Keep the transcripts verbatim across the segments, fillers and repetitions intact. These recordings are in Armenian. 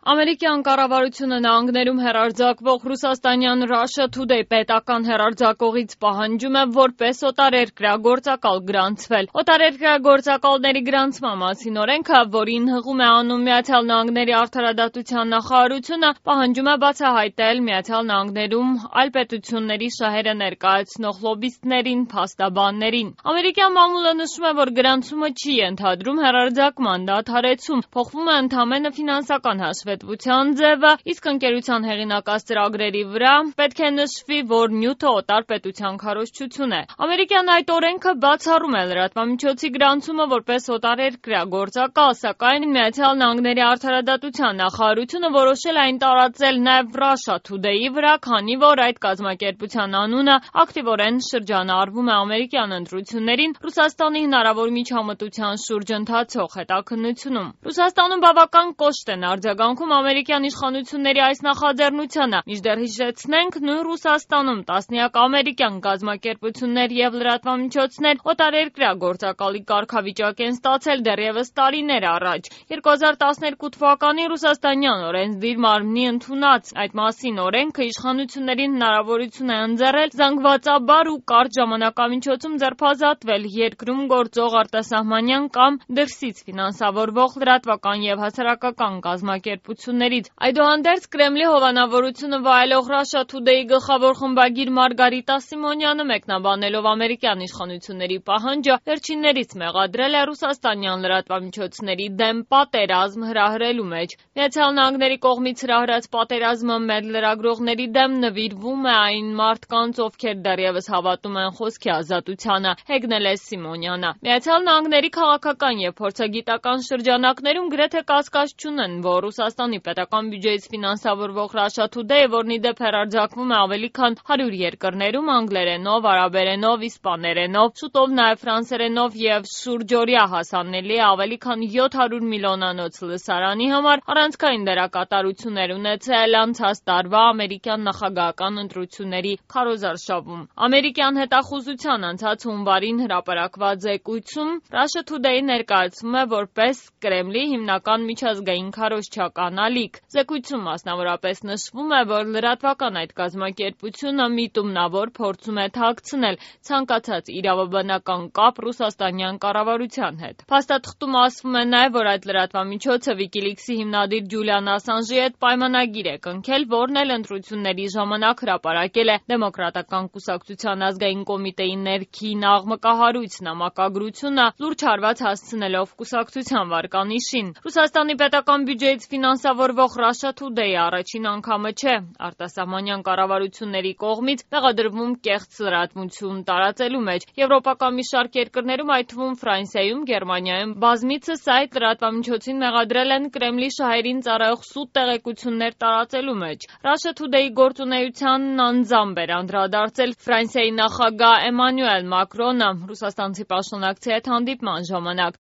Ամերիկյան կառավարությունը նահանգներում հեռարձակվող ռուսաստանյան Russia Today պետական հեռարձակողից պահանջում է որպես օտարերկրյա գործակալ գրանցվել։ Օտարերկրյա գործակալների գրանցման մասին օրենքը, որին հղում է անում Միացյալ Նահանգների արդարադատության նախարարությունը, պահանջում է բացահայտել Միացյալ Նահանգներում այլ պետությունների շահերը ներկայացնող լոբբիստներին, փաստաբաններին։ Ամերիկյան մամուլը նշում է, որ գրանցումը չի ենթադրում հեռարձակման դադարեցում, փոխվում է ընդամենը ֆինանսական հաշվետվություն ձևը, իսկ ընկերության հեղինակած ծրագրերի վրա պետք է նշվի, որ նյութը օտար պետության քարոզչություն է։ Ամերիկյան այդ օրենքը բացառում է լրատվամիջոցի գրանցումը որպես օտարերկրյա գործակալ, սակայն Միացյալ Նահանգների արդարադատության նախարարությունը որոշել է այն տարածել նաև Russia Today-ի վրա, քանի որ այդ կազմակերպության անունը ակտիվորեն շրջանառվում է ամերիկյան ընտրություններին Ռուսաստանի հնարավոր միջամտության շուրջ ընթացող հետաքննությունում։ Ռուսաստանում բավական կոշտ են արձագանքում ամերիկյան իշխանությունների այս նախաձեռնությանը, մինչդեռ հիշեցնենք, նույն Ռուսաստանում տասնյակ ամերիկյան կազմակերպություններ եւ լրատվամիջոցներ օտարերկրյա գործակալի կարգավիճակ են ստացել դեռևս տարիներ առաջ։ երկու հազար տասներկու թվականին ռուսաստանյան օրենսդիր մարմնի ընդունած այդ մասին օրենքը իշխանություններին հնարավորություն է ընձեռել զանգվածաբար ու կարճ ժամանակամիջոցում ձերբազատվել երկրում գործող արտասահմանյան կամ դրսից ֆինանսավորվող լրատվական եւ հասարակական կազմակերպություններից։ Այդուհանդերձ Կրեմլի հովանավորությունը վայելող Russia Today-ի գլխավոր խմբագիր Մարգարիտա Սիմոնյանը մեկնաբանելով ամերիկյան իշխանությունների պահանջը վերջիններից մեղադրել է ռուսաստանյան լրատվամիջոցների դեմ պատերազմ հրահրելու մեջ։ Միացյալ Նահանգների կողմից հրահրած պատերազմը մեր լրագրողների դեմ նվիրվում է այն մարդկանց, ովքեր դեռևս հավատում են խոսքի ազատությանը, հեգնել է Սիմոնյանը։ Միացյալ Նահանգների քաղաքական եւ փորձագիտական շրջանակներում գրեթե կասկած չունեն, որ Ռուսաստանի պետական բյուջեից ֆինանսավորվող Russia Today-ը, որն ի դեպ հեռարձակվում է ավելի քան հարյուր երկրներում անգլերենով, արաբերենով, իսպաներենով, շուտով նաև ֆրանսերենով եւ շուրջօրյա հասանելի է ավելի քան յոթ հարյուր միլիոնանոց լսարանի համար, առանցքային դերակատարություններ ունեցել անցած տարվա ամերիկյան նախագահական ընտրությունների քարոզարշավում։ Ամերիկյան հետախուզության անցած հունվարին հրապարակված զեկույցում Russia Today-ը ներկայացվում է որպես Կրեմլի հիմնական միջազգային քարոզչական ալիք։ Զեկույցում մասնավորապես նշվում է, որ լրատվական այդ կազմակերպությունը միտումնավոր փորձում է թաքցնել ցանկացած իրավաբանական կապ ռուսաստանյան կառավարության հետ։ Փաստաթղթում ասվում է նաև, որ այդ լրատվամիջոցը WikiLeaks-ի հիմնադիր Ջուլիան Ասանժի հետ պայմանագիր է կնքել, որն էլ ընտրությունների ժամանակ հրապարակել է Դեմոկրատական կուսակցության ազգային կոմիտեի ներքին աղմկահարույց նամակագրությունը, լուրջ հարված հասցնելով կուսակցության վարկանիշին։ Ռուսաստանի պետական բյուջեից ֆինանսավորվող Russia Today-ը առաջին անգամը չէ արտասահմանյան կառավարությունների կողմից մեղադրվում կեղծ լրատվություն տարածելու մեջ։ Եվրոպական մի շարք երկրներում, այդ թվում Ֆրանսիայում, Գերմանիայում բազմիցս այդ լրատվամիջոցին մեղադրել են Կրեմլի շահերին ծառայող սուտ տեղեկություններ տարածելու մեջ։ Russia Today-ի գործունեությանն անձամբ էր անդրադարձել Ֆրանսիայի նախագահ Էմանուել Մակրոնը ռուսաստանցի պաշտոնակցի հետ հանդիպման ժամանակ։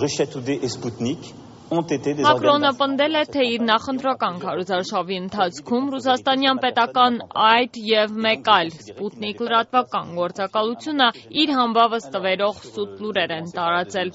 Russia Today et Sputnik Մակրոնը պնդել է, թե իր նախընտրական քարոզարշավի ընթացքում ռուսաստանյան պետական այդ եւ մեկ այլ Sputnik լրատվական գործակալությունը իր համբավը ստվերող սուտ լուրեր են տարածել։